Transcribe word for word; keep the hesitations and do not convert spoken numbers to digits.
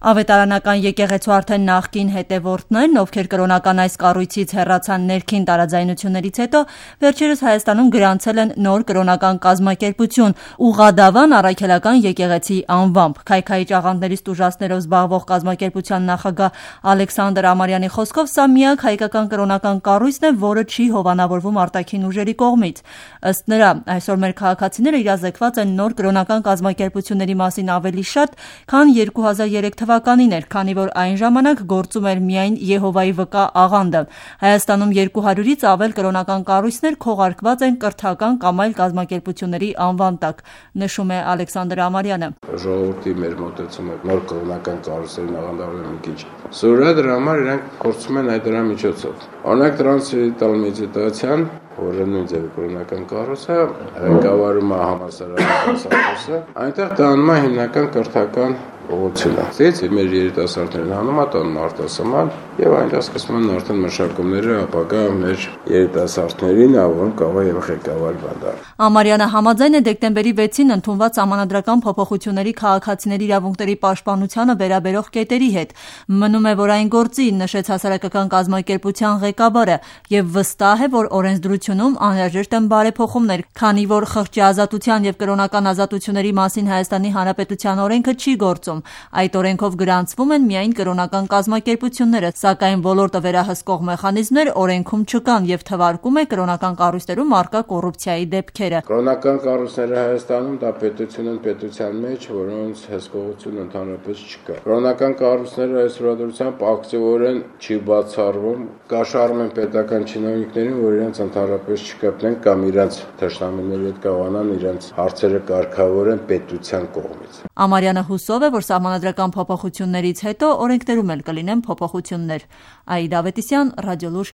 Ավետարանական եկեղեցու արդեն նախկին հետևորդներն, ովքեր կրոնական այս կառույցից հեռացան ներքին տարաձայնություններից հետո, վերջերս Հայաստանում գրանցել են նոր կրոնական կազմակերպություն՝ Ուղղադավան առաքելական եկեղեցի անվամբ։ Քայքայիչ աղանդներից տուժածներով զբաղվող կազմակերպության նախագահ Ալեքսանդր Ամարյանի խոսքով սա միակ հայկական կրոնական կառույցն է, որը չի հովանավորվում արտաքին ուժերի կողմից։ Ըստ նրա, այսօր մեր քաղաքացիները իրազեկված են նոր կրոնական կազմակերպությունների մասին ավելի շատ, քան երկու հազար երեք թվականին էր, քանի որ այն ժամանակ գործում էր միայն Եհովայի վկա աղանդը։ Հայաստանում երկու հարյուրից ավել կրոնական կառույցներ քողարկված են կրթական կամ այլ կազմակերպությունների անվան տակ, նշում է Ալեքսանդր Ամարյանը։ Ժողովրդի մեր մոտեցումը նոր կրոնական կառույցներին աղանդավորել մի քիչ սուր է, դրա համար իրանք փորձում են այդ դրա միջոցով։ Օրինակ տրանսցենդենտալ մեդիտացիան, որը նույն ձևի կրոնական կառույց է, ղեկավարում է համալսարանի դասախոսը, այնտեղ տանում է հիմնական կրթական ուղղությունը։ Դից մեր երիտասարդներն հանում է տանում արտասահման եւ այնտեղ սկսվում են արդեն մշակումները ապագա մեր երիտասարդներին, որոնք կարող են ղեկավար բանալ։ Ամարյանը համաձայն է դեկտեմբերի վեցին ընդունված սահմանադրական փոփոխությունների քաղաքացիների իրավունքների պաշտպանությանը վերաբերող կետերի հետ։ Մնում է, որ այն գործի, նշեց հասարակական կազմակերպության ղեկավարը, եւ վստահ է, որ օրենսդրությունում անհրաժեշտ են բարեփոխումներ, քանի որ խղճի ազատության եւ կրոնական ազատությունների մասին Հայաստանի Հանրապետության օրենքը չի գործում։ Այդ օրենքով գրանցվում են միայն կրոնական կազմակերպությունները, սակայն ոլորտը վերահսկող մեխանիզմներ օրենքում չկան եւ թվարկում է կրոնական կառույցներում առկա կոռուպցիայի դեպքերը։ Կրոնական կառույցները Հայաստանում դա պետություն են պետության մեջ, որոնց հսկողություն ընդհանրապես չկա։ Կրոնական կառույցները այսօր դրությամբ ակտիվորեն չի բացառվում, կաշառում են պետական чиновникներին, որ իրենց ընդհանրապես չկապնեն կամ իրենց թշնամիների հետ կավանան, իրենց հարցերը կարգավորեն պետության կողմից։ Ամարյանը հուսով է, որ սահմանադրական փոփոխություններից հետո օրենքներում էլ կլինեն փոփոխություններ։ Աիդա Ավետիսյան, Ռադիոլուր։